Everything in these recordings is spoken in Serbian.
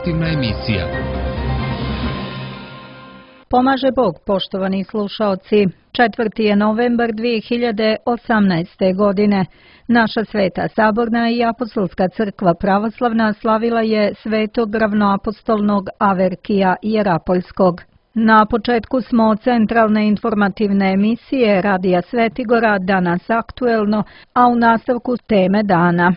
informativna emisija. Pomaže Bog, poštovani slušaoci. 4. je novembar 2018. godine. Naša Sveta Saborna i Apostolska crkva pravoslavna slavila je svetog ravnoapostolnog Averkija Jerapoljskog. Na početku smo centralne informativne emisije Radija Svetigora, danas aktuelno, a u nastavku teme dana.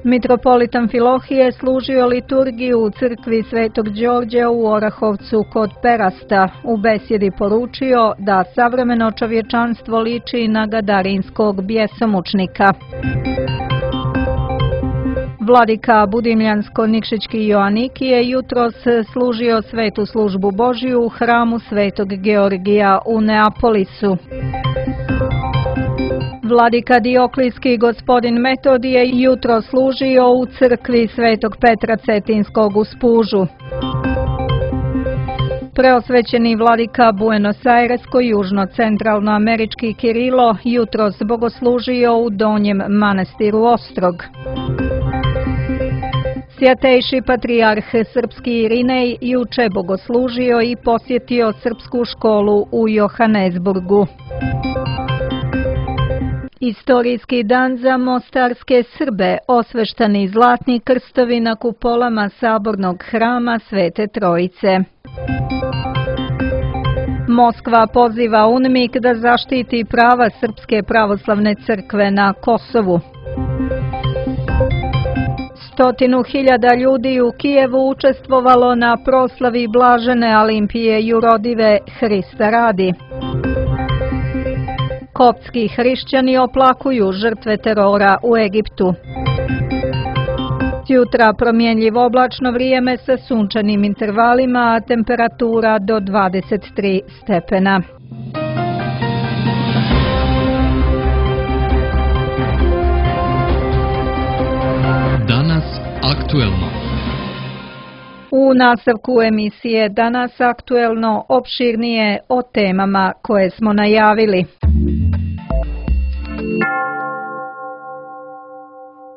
Mitropolit Amfilohije služio liturgiju u crkvi Svetog Đorđa u Orahovcu kod Perasta. U besjedi poručio da savremeno čovječanstvo liči na gadarinskog bjesomučnika. Vladika Budimljansko-Nikšićki Joanikije jutros služio svetu službu Božiju u hramu Svetog Georgija u Neapolisu. Vladika Dioklijski gospodin Metodije jutro služio u crkvi Svetog Petra Cetinskog u Spužu. Preosvećeni vladika Buenos Airesko-južno-centralnoamerički Kirilo jutros bogoslužio u Donjem manastiru Ostrog. Sjatejši patrijarh srpski Irinej juče bogoslužio i posjetio srpsku školu u Johannesburgu. Istorijski dan za mostarske Srbe, osveštani zlatni krstovi na kupolama sabornog hrama Svete Trojice. Moskva poziva UNMIK da zaštiti prava Srpske pravoslavne crkve na Kosovu. 100.000 ljudi u Kijevu učestvovalo na proslavi blažene Alimpije Jurodive Hrista radi. Koptski hrišćani oplakuju žrtve terora u Egiptu. Jutra promjenljivo oblačno vrijeme sa sunčanim intervalima, a temperatura do 23 stepena. Danas aktuelno. U nastavku emisije Danas aktuelno opširnije o temama koje smo najavili.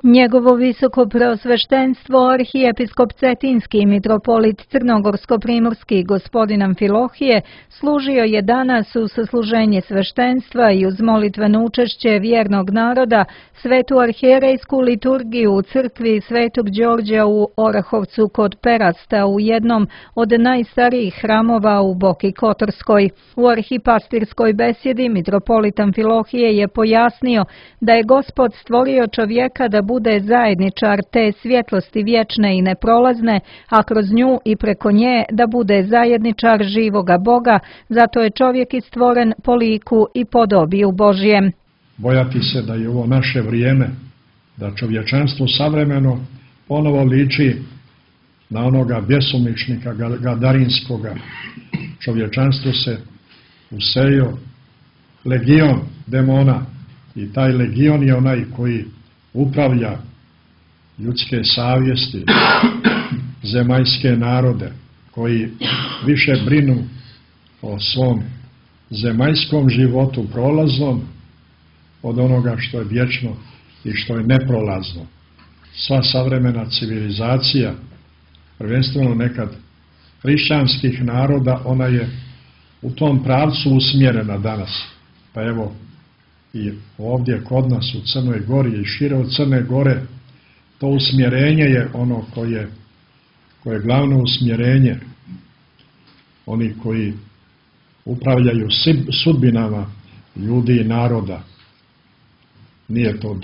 Njegovo visoko preosveštenstvo arhijepiskop Cetinski mitropolit Crnogorsko-primorski gospodin Amfilohije služio je danas u sasluženje sveštenstva i uz molitveno učešće vjernog naroda svetu arhijerejsku liturgiju u crkvi Svetog Đorđa u Orahovcu kod Perasta u jednom od najstarijih hramova u Boki Kotorskoj. U arhipastirskoj besjedi mitropolit Amfilohije je pojasnio da je Gospod stvorio čovjeka da bude zajedničar te svjetlosti vječne i neprolazne, a kroz nju i preko nje da bude zajedničar živoga Boga, zato je čovjek i stvoren po liku i podobiju Božjem. Bojati se da je ovo naše vrijeme, da čovječanstvo savremeno ponovo liči na onoga bjesomučnika gadarinskoga. Čovječanstvo se usejo legion demona i taj legion je onaj koji upravlja ljudske savjesti, zemaljske narode, koji više brinu o svom zemaljskom životu prolaznom od onoga što je vječno i što je neprolazno. Sva savremena civilizacija, prvenstveno nekad hrišćanskih naroda, ona je u tom pravcu usmjerena danas. Pa evo, i ovdje kod nas u Crnoj Gori i šire od Crne Gore, to usmjerenje je ono koje je glavno usmjerenje. Oni koji upravljaju sudbinama ljudi i naroda. Nije to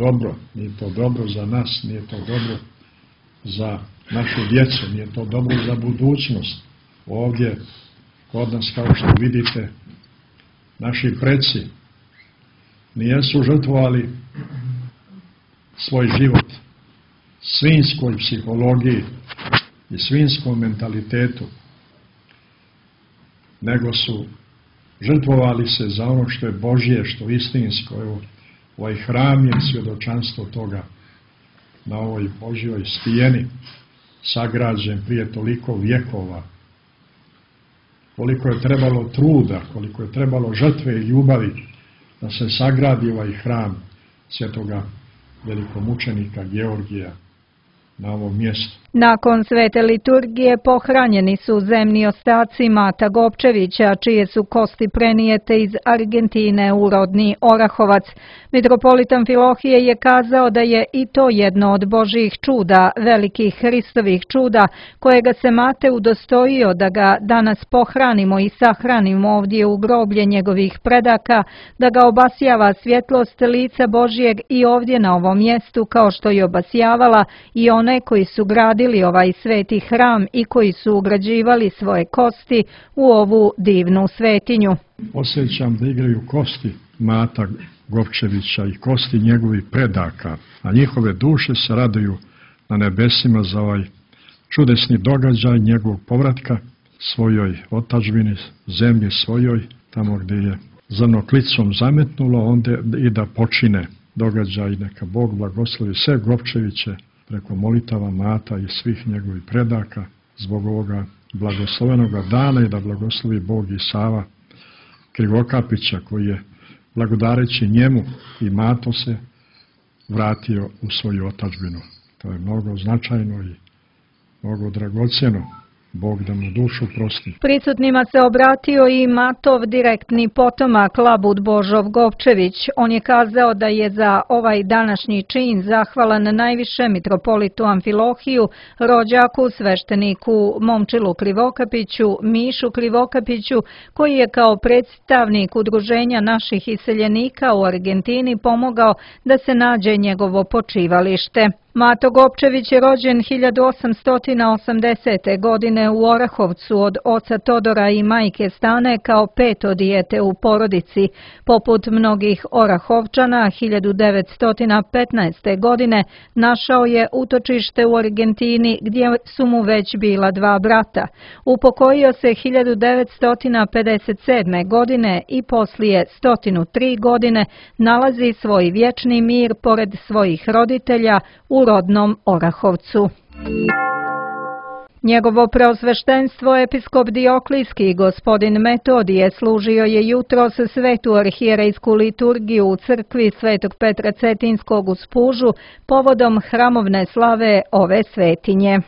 dobro za nas, nije to dobro za našu djecu, nije to dobro za budućnost. Ovdje kod nas, kao što vidite, naši preci nijesu žrtvovali svoj život svinjskoj psihologiji i svinjskom mentalitetu, nego su žrtvovali se za ono što je Božje, što je istinsko. Evo, ovaj hram je svjedočanstvo toga na ovoj Božjoj stijeni, sagrađen prije toliko vjekova. Koliko je trebalo truda, koliko je trebalo žrtve i ljubavi da se sagradi ovaj hram svetoga velikomučenika Georgija na ovom mjestu. Nakon svete liturgije pohranjeni su zemni ostaci Mata Gopčevića, čije su kosti prenijete iz Argentine u rodni Orahovac. Mitropolit Amfilohije je kazao da je i to jedno od Božjih čuda, velikih Hristovih čuda, kojega se Mate udostojio da ga danas pohranimo i sahranimo ovdje u groblje njegovih predaka, da ga obasjava svjetlost lica Božjeg i ovdje na ovom mjestu, kao što je obasjavala i one koji su gradili ovaj sveti hram i koji su ugrađivali svoje kosti u ovu divnu svetinju. Osjećam da igraju kosti Mata Gopčevića i kosti njegovih predaka, a njihove duše se raduju na nebesima za ovaj čudesni događaj njegovog povratka svojoj otadžbini, zemlji svojoj, tamo gdje je zrno klicom zametnulo, onda i da počine događaj. Neka Bog blagoslovi sve Gopčeviće preko molitava Mata i svih njegovih predaka zbog ovoga blagoslovenoga dana i da blagoslovi Bog i Sava Krivokapića koji je blagodareći njemu i Mato se vratio u svoju otadžbinu. To je mnogo značajno i mnogo dragocjeno. Bog da mu dušu prosti. Prisutnima se obratio i Matov direktni potomak Labud Božov Gopčević. On je kazao da je za ovaj današnji čin zahvalan najviše mitropolitu Amfilohiju, rođaku, svešteniku Momčilu Krivokapiću, Mišu Krivokapiću, koji je kao predstavnik udruženja naših iseljenika u Argentini pomogao da se nađe njegovo počivalište. Mato Gopčević je rođen 1880. godine u Orahovcu od oca Todora i majke Stane kao peto dijete u porodici. Poput mnogih Orahovčana, 1915. godine našao je utočište u Argentini gdje su mu već bila dva brata. Upokojio se 1957. godine i poslije 103 godine nalazi svoj vječni mir pored svojih roditelja u rodnom Orahovcu. Njegovo preosveštenstvo episkop Dioklijski gospodin Metodije služio je jutros svetu arhijerejsku liturgiju u crkvi Svetog Petra Cetinskog u Spužu povodom hramovne slave ove svetinje.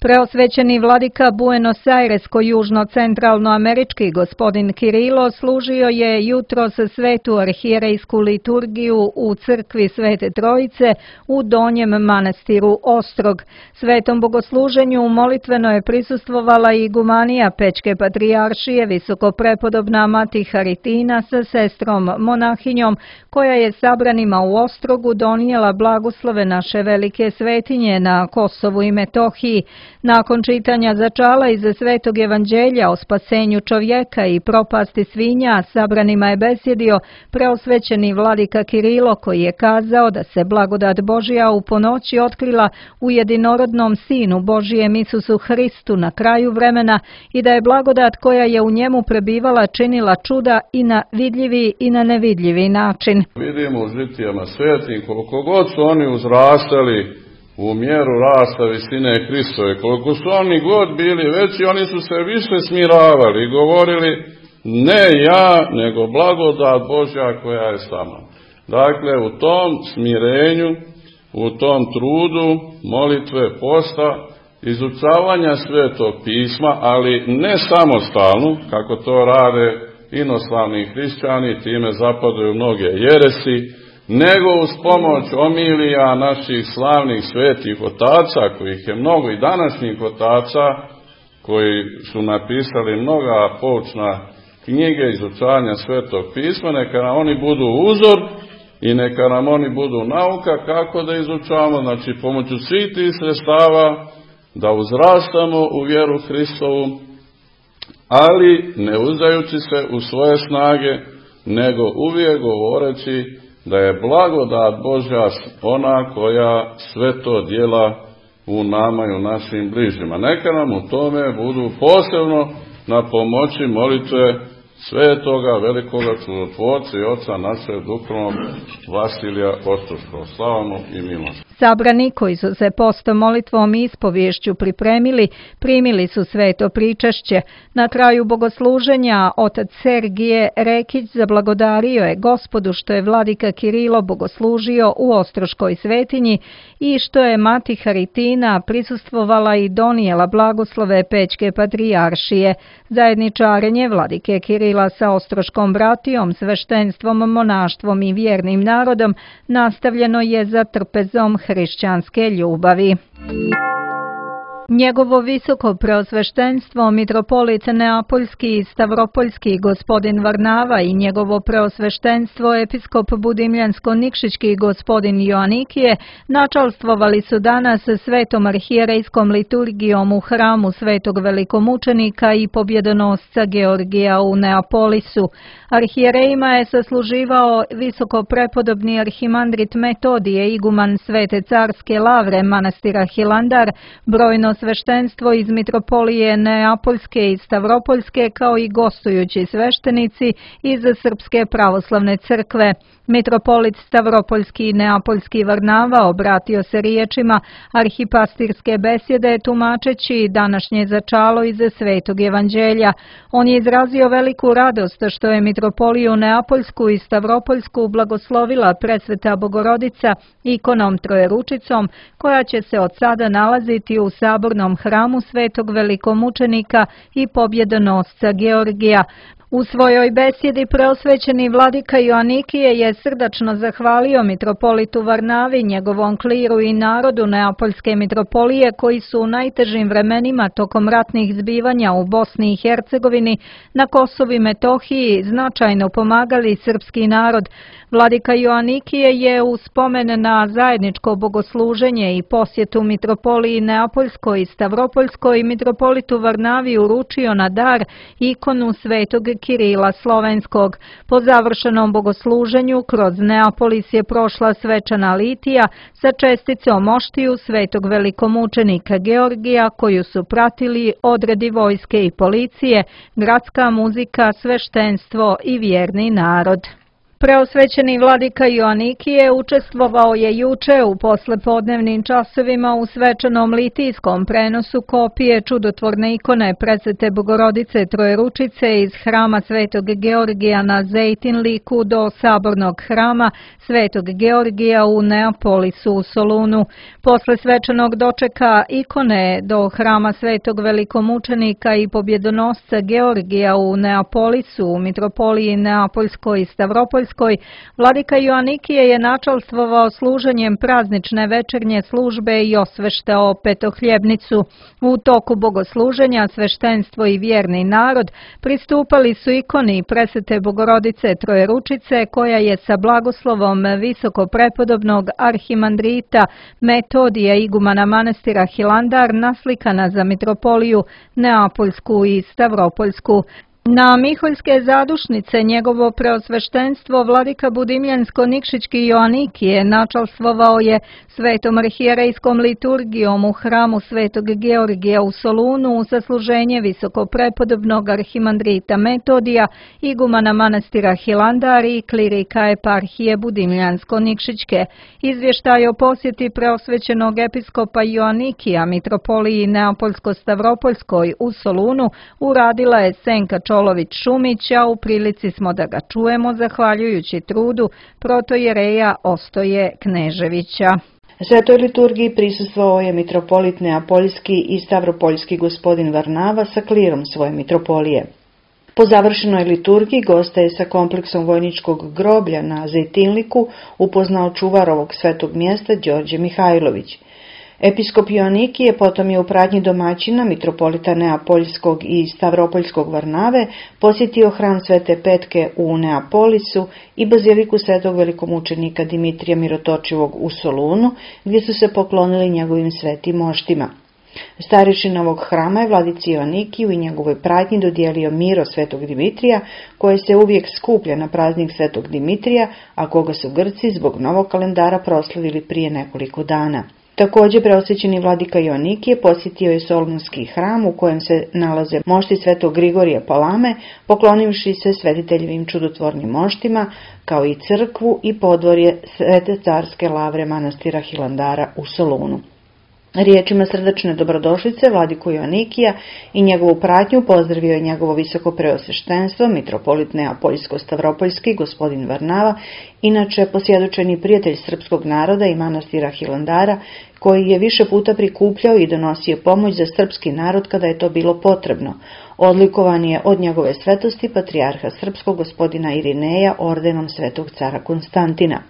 Preosvećeni vladika Buenos Airesko-južno-centralnoamerički gospodin Kirilo služio je jutros svetu arhijerejsku liturgiju u crkvi Svete Trojice u Donjem manastiru Ostrog. Svetom bogosluženju molitveno je prisustvovala i igumanija Pećke patrijaršije visokoprepodobna Mati Haritina sa sestrom monahinjom, koja je sabranima u Ostrogu donijela blagoslove naše velike svetinje na Kosovu i Metohiji. Nakon čitanja začala iz Svetog evanđelja o spasenju čovjeka i propasti svinja, sabranima je besjedio preosvećeni vladika Kirilo, koji je kazao da se blagodat Božja u ponoći otkrila u jedinorodnom Sinu Božijem Isusu Hristu na kraju vremena i da je blagodat koja je u njemu prebivala činila čuda i na vidljivi i na nevidljivi način. Vidimo u žitijama svetim koliko god su oni uzrastali u mjeru rasta visine Hristove, koliko su oni god bili veći, oni su se više smiravali i govorili ne ja, nego blagodat Božja koja je sa mnom. Dakle, u tom smirenju, u tom trudu, molitve, posta, izučavanja Svetog pisma, ali ne samostalno, kako to rade inoslavni hrišćani, time zapadaju mnoge jeresi, nego uz pomoć omilija naših slavnih svetih otaca, kojih je mnogo i današnjih otaca, koji su napisali mnoga poučna knjige izučavanja Svetog pisma, neka nam oni budu uzor i neka nam oni budu nauka kako da izučavamo, znači pomoću svih tih sredstava da uzrastamo u vjeru Hristovu, ali ne uzdajući se u svoje snage, nego uvijek govoreći da je blagodat Božja ona koja sve to djela u nama i u našim bližnjima. Neka nam u tome budu posebno na pomoći molitve svetoga velikoga čudotvorca i oca našeg duhovnog Vasilija Ostoškog, slavnu i milosrdnu. Sabrani koji su se postom, molitvom i ispovješću pripremili, primili su sveto pričašće. Na kraju bogosluženja otac Sergije Rekić zablagodario je Gospodu što je vladika Kirilo bogoslužio u Ostroškoj svetinji i što je mati Haritina prisustvovala i donijela blagoslove Pećke patrijaršije. Zajedničarenje vladike Kirila sa Ostroškom bratijom, sveštenstvom, monaštvom i vjernim narodom nastavljeno je za trpezom hrišćanske ljubavi. Njegovo visoko preosveštenstvo mitropolit Neapoljski i Stavropoljski gospodin Varnava i njegovo preosveštenstvo episkop Budimljansko-Nikšićki gospodin Joanikije načalstvovali su danas svetom arhijerejskom liturgijom u hramu svetog velikomučenika i pobjedonosca Georgija u Neapolisu. Arhijerejima je sasluživao visoko prepodobni arhimandrit Metodije, iguman Svete carske lavre manastira Hilandar, brojno sveštenstvo iz mitropolije Neapoljske i Stavropoljske kao i gostujući sveštenici iz Srpske pravoslavne crkve. Mitropolit Stavropoljski i Neapoljski Varnava obratio se riječima arhipastirske besjede tumačeći današnje začalo iz Svetog evanđelja. On je izrazio veliku radost što je mitropoliju Neapoljsku i Stavropoljsku blagoslovila presveta Bogorodica ikonom Trojeručicom, koja će se od sada nalaziti u sabornom hramu svetog velikomučenika i pobjedonosca Georgija. U svojoj besjedi preosvećeni vladika Joanikije je srdačno zahvalio mitropolitu Varnavi, njegovom kliru i narodu Neapoljske mitropolije koji su u najtežim vremenima tokom ratnih zbivanja u Bosni i Hercegovini, na Kosovu i Metohiji značajno pomagali srpski narod. Vladika Joanikije je u spomen na zajedničko bogosluženje i posjetu mitropoliji Neapoljskoj i Stavropoljskoj mitropolitu Varnavi uručio na dar ikonu svetog Kirila Slovenskog. Po završenom bogosluženju kroz Neapolis je prošla svečana litija sa česticom oštiju svetog velikomučenika Georgija koju su pratili odredi vojske i policije, gradska muzika, sveštenstvo i vjerni narod. Preosvećeni vladika Joanikije učestvovao je juče u poslepodnevnim časovima u svečanom litijskom prenosu kopije čudotvorne ikone presvete Bogorodice Trojeručice iz hrama Svetog Georgija na Zejtinliku do sabornog hrama Svetog Georgija u Neapolisu u Solunu. Posle svečanog dočeka ikone do hrama Svetog velikomučenika i pobjedonosca Georgija u Neapolisu u mitropoliji Neapoljskoj i Stavropoljskoj, vladika Joanikije je načalstvovao služenjem praznične večernje službe i osveštao petohljebnicu. U toku bogosluženja sveštenstvo i vjerni narod pristupali su ikoni presvete Bogorodice Trojeručice koja je sa blagoslovom visoko prepodobnog arhimandrita Metodija, igumana manastira Hilandar, naslikana za mitropoliju Neapoljsku i Stavropoljsku. Na Miholjske zadušnice njegovo preosveštenstvo vladika Budimljansko-Nikšićki Joanikije načalstvovao je svetom arhijerejskom liturgijom u hramu svetog Georgija u Solunu u sasluženje visoko prepodobnog arhimandrita Metodija, igumana manastira Hilandar i klirika eparhije Budimljansko-Nikšićke. Izvještaj o posjeti preosvećenog episkopa Joanikija mitropoliji Neapoljsko-Stavropoljskoj u Solunu uradila je Senka Čolović-Šumić, a u prilici smo da ga čujemo zahvaljujući trudu protojereja Ostoje Kneževića. Svetoj liturgiji prisustvovao je mitropolit Neapoljski i Stavropoljski gospodin Varnava sa klirom svoje mitropolije. Po završenoj liturgiji gosta je sa kompleksom vojničkog groblja na Zejtinliku upoznao čuvar ovog svetog mjesta Đorđe Mihajlović. Episkop Joanikije potom je u pratnji domaćina mitropolita Neapoljskog i Stavropoljskog Varnave posjetio hram Svete Petke u Neapolisu i baziliku svetog velikomučenika Dimitrija Mirotočivog u Solunu, gdje su se poklonili njegovim svetim moštima. Starešina ovog hrama je vladici Joanikiju i njegovoj pratnji dodijelio miro svetog Dimitrija, koje se uvijek skuplja na praznik svetog Dimitrija, a koga su Grci zbog novog kalendara proslavili prije nekoliko dana. Također preosvećeni vladika Joanikije posjetio je Solunski hram u kojem se nalaze mošti svetog Grigorija Palame, poklonivši se svetiteljevim čudotvornim moštima, kao i crkvu i podvorje Svete carske lavre manastira Hilandara u Solunu. Riječima srdačne dobrodošlice vladiku Joanikija i njegovu pratnju pozdravio je njegovo visoko preosveštenstvo, mitropolit Neapoljsko-Stavropoljski, gospodin Varnava, inače posvjedočeni prijatelj srpskog naroda i manastira Hilandara, koji je više puta prikupljao i donosio pomoć za srpski narod kada je to bilo potrebno. Odlikovan je od njegove svetosti patrijarha srpskog gospodina Irineja ordenom svetog cara Konstantina.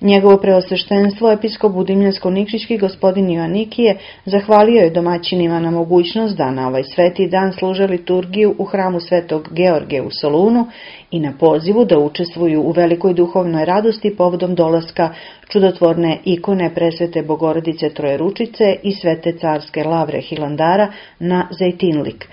Njegovo preosveštenstvo, episkop Budimljansko-Nikšićki gospodin Joanikije, zahvalio je domaćinima na mogućnost da na ovaj sveti dan služe liturgiju u hramu svetog Georgija u Solunu i na pozivu da učestvuju u velikoj duhovnoj radosti povodom dolaska čudotvorne ikone presvete Bogorodice Trojeručice i svete carske lavre Hilandara na Zejtinlik.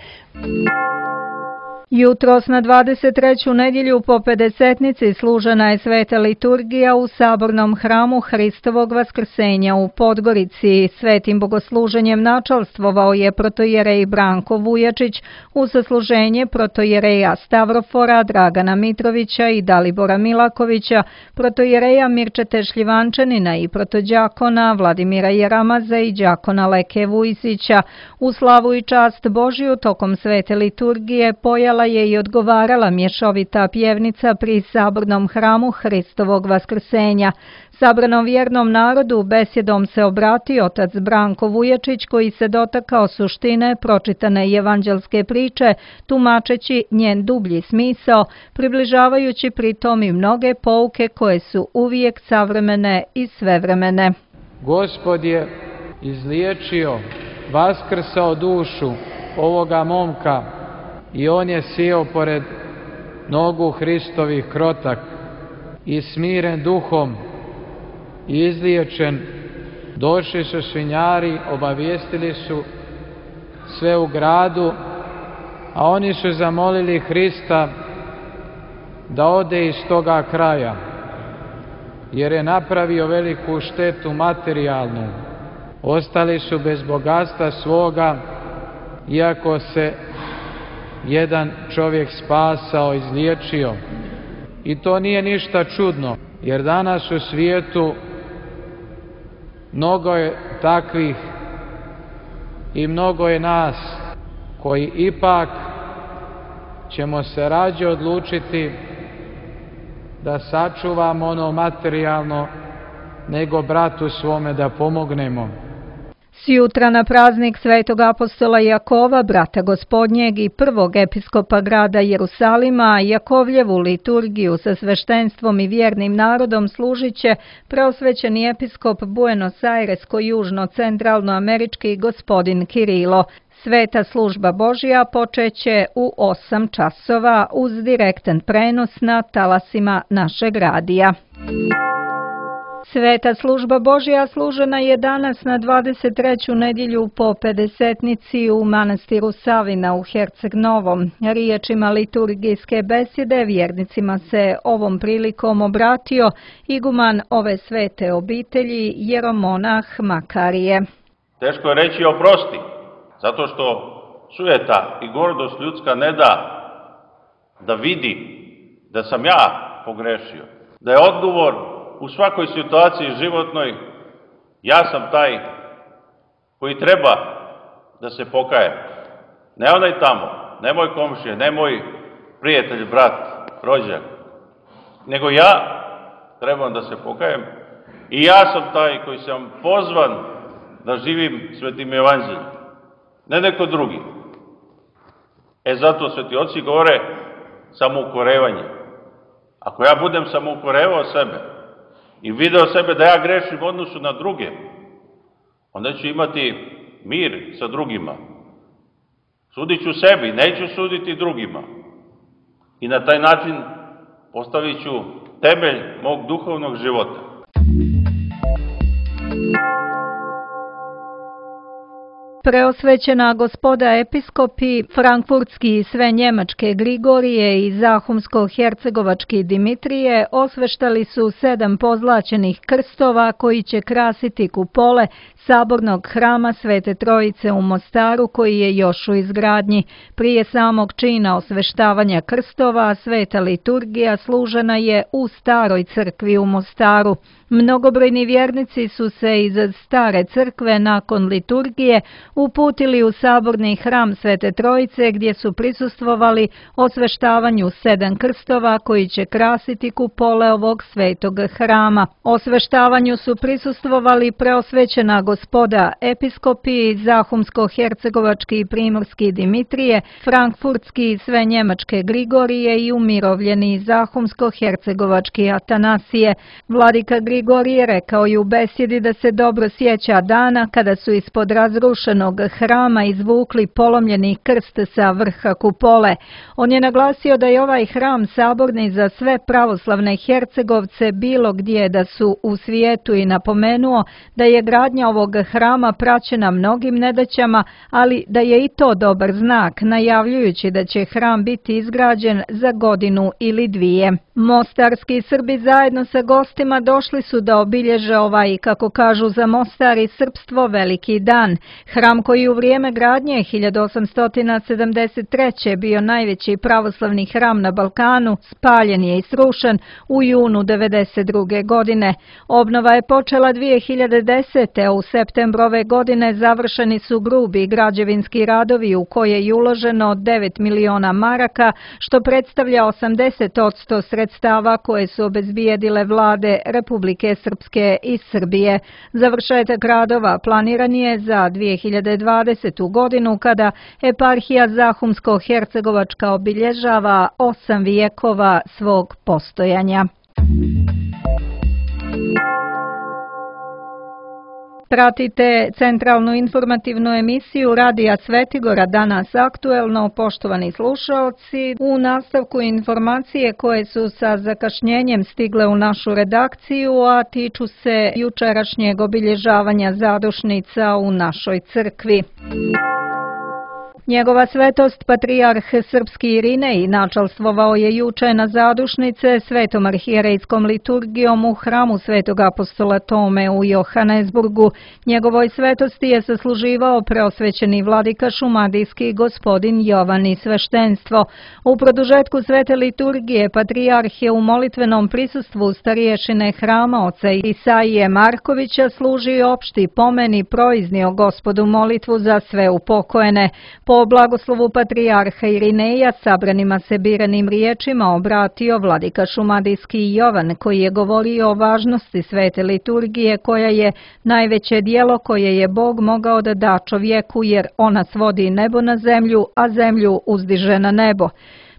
Jutros na 23. nedjelju po Pedesetnici služena je sveta liturgija u sabornom hramu Hristovog vaskrsenja u Podgorici. Svetim bogosluženjem načalstvovao je protojerej Branko Vujačić uz sasluženje protojereja Stavrofora, Dragana Mitrovića i Dalibora Milakovića, protojereja Mirčete Šljivančanina i protođakona Vladimira Jeramaza i đakona Leke Vujsića. U slavu i čast Božiju tokom svete liturgije pojala je i odgovarala mješovita pjevnica pri sabornom hramu Hristovog vaskrsenja. Sabranom vjernom narodu besjedom se obratio otac Branko Vujačić, koji se dotakao suštine pročitane evanđelske priče, tumačeći njen dublji smisao, približavajući pritom i mnoge pouke koje su uvijek savremene i svevremene. Gospod je izliječio, vaskrsao dušu ovoga momka i on je sjeo pored nogu Hristovih krotak i smiren duhom i izliječen. Došli su svinjari, obavijestili su sve u gradu, a oni su zamolili Hrista da ode iz toga kraja, jer je napravio veliku štetu materijalnu. Ostali su bez bogatstva svoga, iako se jedan čovjek spasao, izliječio. I to nije ništa čudno, jer danas u svijetu mnogo je takvih i mnogo je nas koji ipak ćemo se rađe odlučiti da sačuvamo ono materijalno nego bratu svome da pomognemo. Sjutra na praznik svetog apostola Jakova, brata gospodnjeg i prvog episkopa grada Jerusalima, Jakovljevu liturgiju sa sveštenstvom i vjernim narodom služit će preosvećeni episkop Buenos Airesko-južno-centralnoamerički gospodin Kirilo. Sveta služba Božja počeće u 8 časova uz direktan prenos na talasima našeg radija. Sveta služba Božja služena je danas na 23. nedjelju po Pedesetnici u manastiru Savina u Herceg Novom. Riječima liturgijske besjede vjernicima se ovom prilikom obratio iguman ove svete obitelji jeromonah Makarije. Teško je reći oprosti, zato što sujeta i gordost ljudska ne da vidi da sam ja pogrešio, da je odgovor u svakoj situaciji životnoj, ja sam taj koji treba da se pokaje. Ne onaj tamo, ne moj komšija, ne moj prijatelj, brat, rođak, nego ja trebam da se pokajem i ja sam taj koji sam pozvan da živim svetim evanđeljem, ne neko drugi. Zato sveti oci govore samoukorevanje. Ako ja budem samoukorevao sebe i video sebe da ja grešim u odnosu na druge, onda ću imati mir sa drugima. Sudit ću sebi, neću suditi drugima. I na taj način postavit ću temelj mog duhovnog života. Preosvećena gospoda episkopi, frankfurtski i sve njemačke Grigorije i zahumsko-hercegovački Dimitrije osveštali su 7 pozlaćenih krstova koji će krasiti kupole sabornog hrama Svete Trojice u Mostaru koji je još u izgradnji. Prije samog čina osveštavanja krstova sveta liturgija služena je u staroj crkvi u Mostaru. Mnogobrojni vjernici su se iz stare crkve nakon liturgije uputili u saborni hram Svete Trojice gdje su prisustvovali osveštavanju 7 krstova koji će krasiti kupole ovog svetog hrama. Osveštavanju su prisustvovali preosvećena gospoda episkopi, zahumsko-hercegovački i primorski Dimitrije, frankfurtski i sve njemačke Grigorije i umirovljeni zahumsko-hercegovački Atanasije. Vladika Grigorije rekao je u besjedi da se dobro sjeća dana kada su ispod razrušenog hrama izvukli polomljeni krst sa vrha kupole. On je naglasio da je ovaj hram saborni za sve pravoslavne Hercegovce bilo gdje da su u svijetu i napomenuo da je gradnja ovog hrama praćena mnogim nedaćama, ali da je i to dobar znak, najavljujući da će hram biti izgrađen za godinu ili 2. Mostarski Srbi zajedno sa gostima došli su da obilježe ovaj, kako kažu za Mostar i srpstvo, veliki dan. Hram koji u vrijeme gradnje 1873. bio najveći pravoslavni hram na Balkanu, spaljen je i srušen u junu 1992. godine. Obnova je počela 2010. a u septembru ove godine završeni su grubi građevinski radovi u koje je uloženo 9 miliona maraka, što predstavlja 80% sredstava koje su obezbijedile vlade Republike Srpske i Srbije. Završetak radova planiran je za 2020. godinu kada eparhija Zahumsko-hercegovačka obilježava 8 vijekova svog postojanja. Pratite centralnu informativnu emisiju Radija Svetigora Danas aktuelno, poštovani slušaoci. U nastavku informacije koje su sa zakašnjenjem stigle u našu redakciju, a tiču se jučerašnjeg obilježavanja zadušnica u našoj crkvi. Njegova svetost patrijarh srpski Irinej načalstvovao je juče na zadušnice svetom arhijerejskom liturgijom u hramu svetog apostola Tome u Johannesburgu. Njegovoj svetosti je sasluživao preosvećeni vladika šumadijski gospodin Jovan i sveštenstvo. U produžetku svete liturgije patrijarh je u molitvenom prisustvu stariješine hrama oca Isaije Markovića služio opšti pomen i proiznio Gospodu molitvu za sve upokojene. Po blagoslovu patrijarha Irineja sabranima se biranim riječima obratio vladika šumadijski Jovan, koji je govorio o važnosti svete liturgije koja je najveće djelo koje je Bog mogao da da čovjeku, jer ona svodi nebo na zemlju, a zemlju uzdiže na nebo.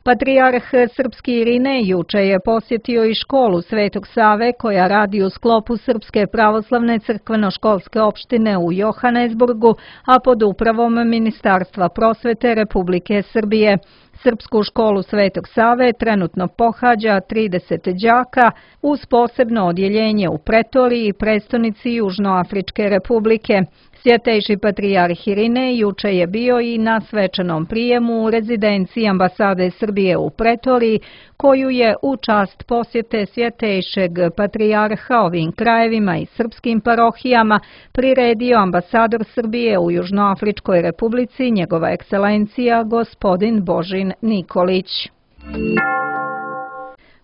Patrijarh srpski Irinej juče je posjetio i školu Svetog Save koja radi u sklopu Srpske pravoslavne crkveno-školske opštine u Johannesburgu, a pod upravom Ministarstva prosvete Republike Srbije. Srpsku školu Svetog Save trenutno pohađa 30 đaka uz posebno odjeljenje u Pretoriji i prestonici Južnoafričke republike. Svjetejši patrijarh Irinej juče je bio i na svečanom prijemu u rezidenciji ambasade Srbije u Pretoriji, koju je u čast posjete svjetejšeg patrijarha ovim krajevima i srpskim parohijama priredio ambasador Srbije u Južnoafričkoj republici, njegova ekscelencija gospodin Božin Nikolić.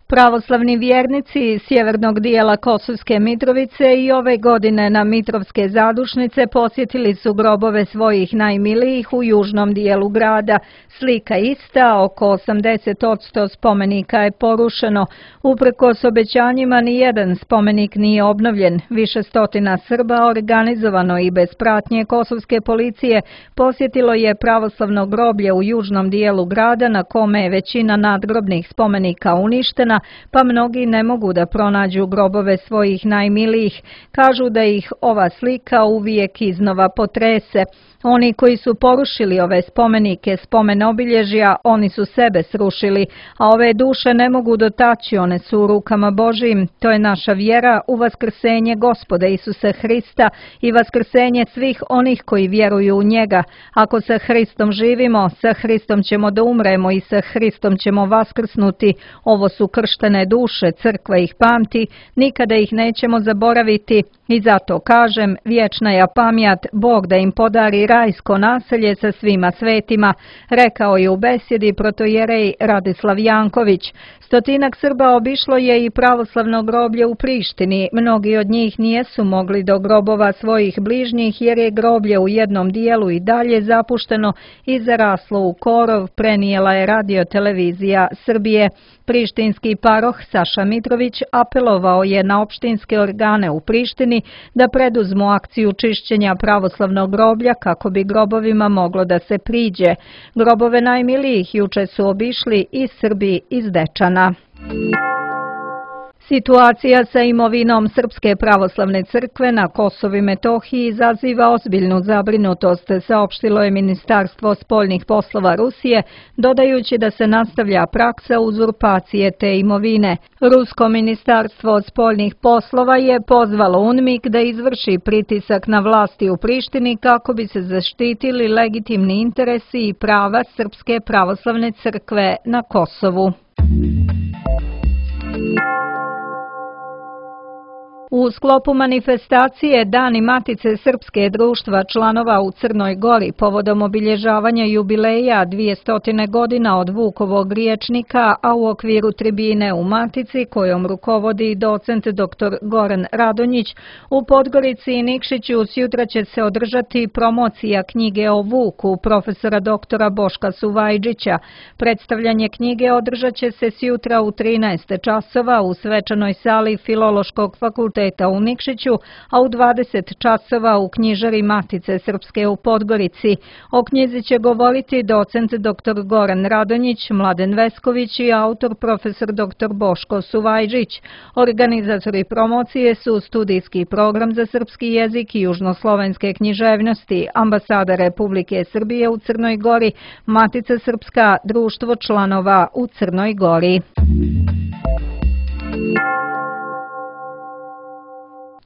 Pravoslavni vjernici sjevernog dijela Kosovske Mitrovice i ove godine na Mitrovske zadušnice posjetili su grobove svojih najmilijih u južnom dijelu grada. Slika ista, oko 80% spomenika je porušeno. Uprkos obećanjima nijedan spomenik nije obnovljen. Više stotina Srba organizovano i bez pratnje kosovske policije posjetilo je pravoslavno groblje u južnom dijelu grada na kome je većina nadgrobnih spomenika uništena, pa mnogi ne mogu da pronađu grobove svojih najmilijih. Kažu da ih ova slika uvijek iznova potrese. Oni koji su porušili ove spomenike, spomen obilježja, oni su sebe srušili, a ove duše ne mogu dotaći, one su u rukama Božijim. To je naša vjera u vaskrsenje Gospoda Isusa Hrista i vaskrsenje svih onih koji vjeruju u njega. Ako sa Hristom živimo, sa Hristom ćemo da umremo i sa Hristom ćemo vaskrsnuti. Ovo su krštene duše, crkva ih pamti, nikada ih nećemo zaboraviti. I zato kažem, vječna je pamjat, Bog da im podari rajsko naselje sa svima svetima, rekao je u besjedi protojerej Radislav Janković. 100 Srba obišlo je i pravoslavno groblje u Prištini. Mnogi od njih nijesu mogli do grobova svojih bližnjih jer je groblje u jednom dijelu i dalje zapušteno i zaraslo u korov, prenijela je Radio-televizija Srbije. Prištinski paroh Saša Mitrović apelovao je na opštinske organe u Prištini da preduzmu akciju čišćenja pravoslavnog groblja kako bi grobovima moglo da se priđe. Grobove najmilijih juče su obišli i Srbi iz Dečana. Situacija sa imovinom Srpske pravoslavne crkve na Kosovu i Metohiji izaziva ozbiljnu zabrinutost, saopštilo je Ministarstvo spoljnih poslova Rusije, dodajući da se nastavlja praksa uzurpacije te imovine. Rusko ministarstvo spoljnih poslova je pozvalo UNMIK da izvrši pritisak na vlasti u Prištini kako bi se zaštitili legitimni interesi i prava Srpske pravoslavne crkve na Kosovu. U sklopu manifestacije Dani Matice Srpske društva članova u Crnoj Gori povodom obilježavanja jubileja 200 godina od Vukovog riječnika, a u okviru tribine u Matici kojom rukovodi docent dr. Goran Radonjić, u Podgorici i Nikšiću sjutra će se održati promocija knjige o Vuku profesora dr. Boška Suvajđića. Predstavljanje knjige održat će se sjutra u 13 časova u svečanoj sali Filološkog fakulteta u Nikšiću, a u 20 časova u knjižari Matice Srpske u Podgorici. O knjizi će govoriti docent dr. Goran Radonjić, Mladen Vesković i autor profesor dr. Boško Suvajđić. Organizatori promocije su Studijski program za srpski jezik i južnoslovenske književnosti, Ambasada Republike Srbije u Crnoj Gori, Matica Srpska, Društvo članova u Crnoj Gori.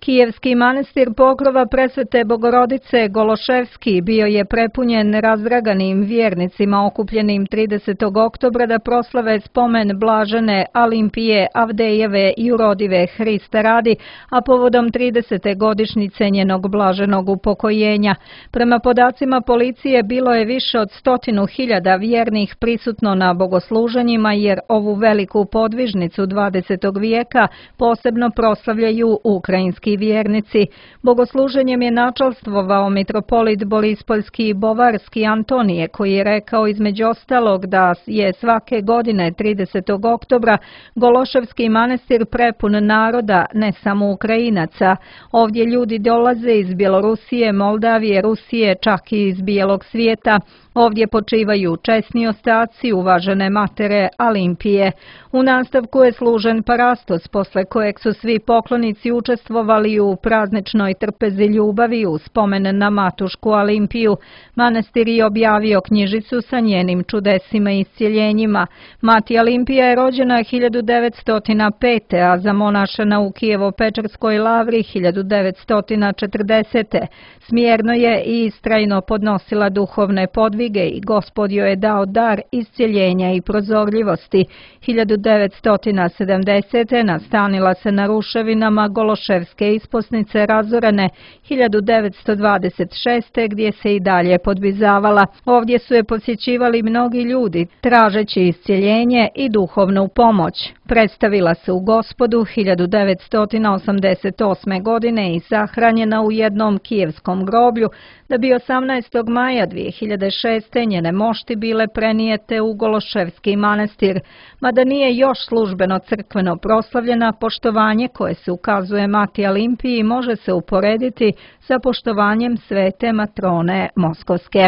Kijevski manastir Pokrova Presvete Bogorodice Gološevski bio je prepunjen razdraganim vjernicima okupljenim 30. oktobra da proslave spomen blažene Alimpije Avdejeve Jurodive Hrista radi, a povodom 30. godišnjice njenog blaženog upokojenja. Prema podacima policije bilo je više od 100.000 vjernih prisutno na bogosluženjima jer ovu veliku podvižnicu 20. vijeka posebno proslavljaju ukrajinski vjernici. Bogosluženjem je načalstvovao mitropolit Borispoljski i Bovarski Antonije, koji je rekao između ostalog da je svake godine 30. oktobra Gološevski manastir prepun naroda, ne samo Ukrajinaca. Ovdje ljudi dolaze iz Bjelorusije, Moldavije, Rusije, čak i iz bijelog svijeta. Ovdje počivaju česni ostaci uvažene matere Alimpije. U nastavku je služen parastos, posle kojeg su svi poklonici učestvovali u prazničnoj trpezi ljubavi u spomen na matušku Alimpiju. Manastir je objavio knjižicu sa njenim čudesima i iscjeljenjima. Mati Alimpija je rođena 1905. a zamonašena u Kijevo-Pečarskoj lavri 1940. Smjerno je i istrajno podnosila duhovne podvige i Gospod joj je dao dar iscjeljenja i prozorljivosti. 1970. nastanila se na ruševinama Gološevske isposnice razorene, 1926. gdje se i dalje podbizavala. Ovdje su je posjećivali mnogi ljudi, tražeći iscjeljenje i duhovnu pomoć. Predstavila se u Gospodu 1988. godine i sahranjena u jednom kijevskom groblju, da bi 18. maja 2006. njene mošti bile prenijete u Gološevski manastir. Mada nije još službeno crkveno proslavljena, poštovanje koje se ukazuje Mati Alimpiji može se uporediti sa poštovanjem svete matrone Moskovske.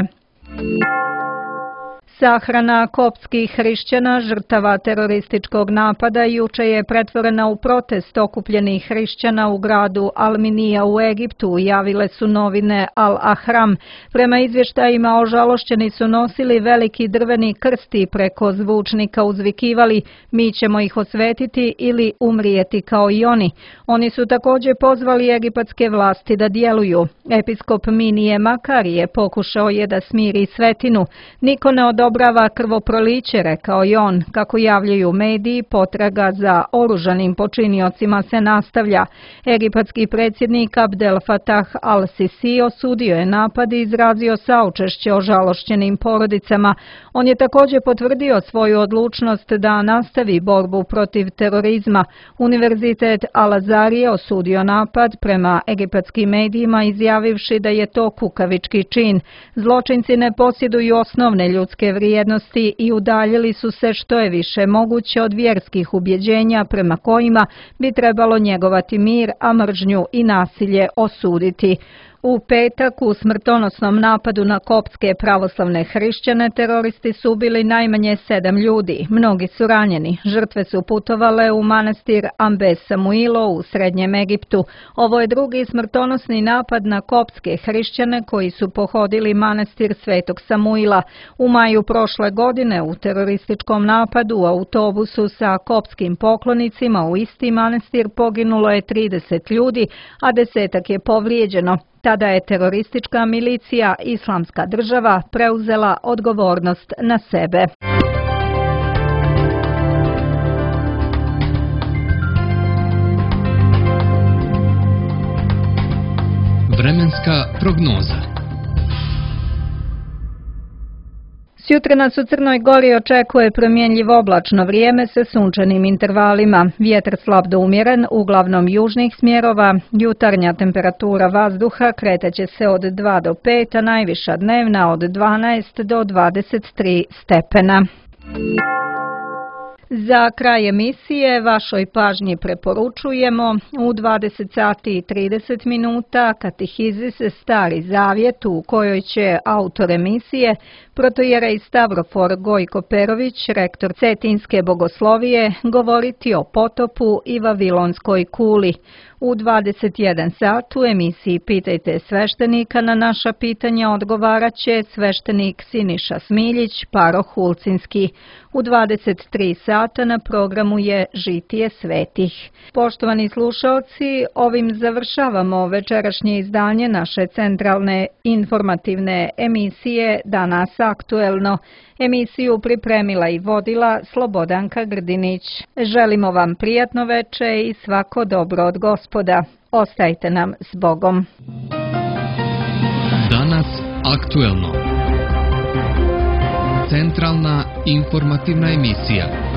Sahrana koptskih hrišćana, žrtava terorističkog napada, juče je pretvorena u protest okupljenih hrišćana u gradu Al-Minija u Egiptu, javile su novine Al-Ahram. Prema izvještajima, ožalošćeni su nosili veliki drveni krst i preko zvučnika uzvikivali: "Mi ćemo ih osvetiti ili umrijeti kao i oni." Oni su također pozvali egipatske vlasti da djeluju. Episkop Minije Makarije pokušao je da smiri svetinu. "Niko ne odobrava krvoproliće," rekao je on. Kako javljaju mediji, potraga za oružanim počiniocima se nastavlja. Egipatski predsjednik Abdel Fattah al-Sisi osudio je napad i izrazio saučešće ožalošćenim porodicama. On je također potvrdio svoju odlučnost da nastavi borbu protiv terorizma. Univerzitet Al-Azhar je osudio napad, prema egipatskim medijima izjavivši da je to kukavički čin. Zločinci ne posjeduju osnovne ljudske vrijednosti i udaljili su se što je više moguće od vjerskih ubjeđenja prema kojima bi trebalo njegovati mir, a mržnju i nasilje osuditi. U petak u smrtonosnom napadu na koptske pravoslavne hrišćane teroristi su ubili najmanje 7 ljudi. Mnogi su ranjeni. Žrtve su putovale u manastir Ambe Samuilo u Srednjem Egiptu. Ovo je drugi smrtonosni napad na koptske hrišćane koji su pohodili manastir Svetog Samuila. U maju prošle godine u terorističkom napadu u autobusu sa koptskim poklonicima u isti manastir poginulo je 30 ljudi, a 10-ak je povrijeđeno. Tada je teroristička milicija Islamska država preuzela odgovornost na sebe. Vremenska prognoza. Sjutra nas u Crnoj Gori očekuje promjenjivo oblačno vrijeme sa sunčanim intervalima. Vjetar slab do umjeren, uglavnom južnih smjerova. Jutarnja temperatura vazduha kretaće se od 2 do 5, a najviša dnevna od 12 do 23 stepena. Za kraj emisije vašoj pažnji preporučujemo u 20 sati i 30 minuta Katehizis Stari Zavjet, u kojoj će autor emisije, protojerej Stavrofor Gojko Perović, rektor Cetinske bogoslovije, govoriti o potopu i Vavilonskoj kuli. U 21 sat u emisiji Pitajte sveštenika na naša pitanja odgovarat će sveštenik Siniša Smiljić, paroh Ulcinski. U 23 sata na programu je Žitije svetih. Poštovani slušalci, ovim završavamo večerašnje izdanje naše centralne informativne emisije Danas aktuelno. Emisiju pripremila i vodila Slobodanka Grdinić. Želimo vam prijatno veče i svako dobro od Gospoda. Ostajte nam s Bogom. Danas aktuelno. Centralna informativna emisija.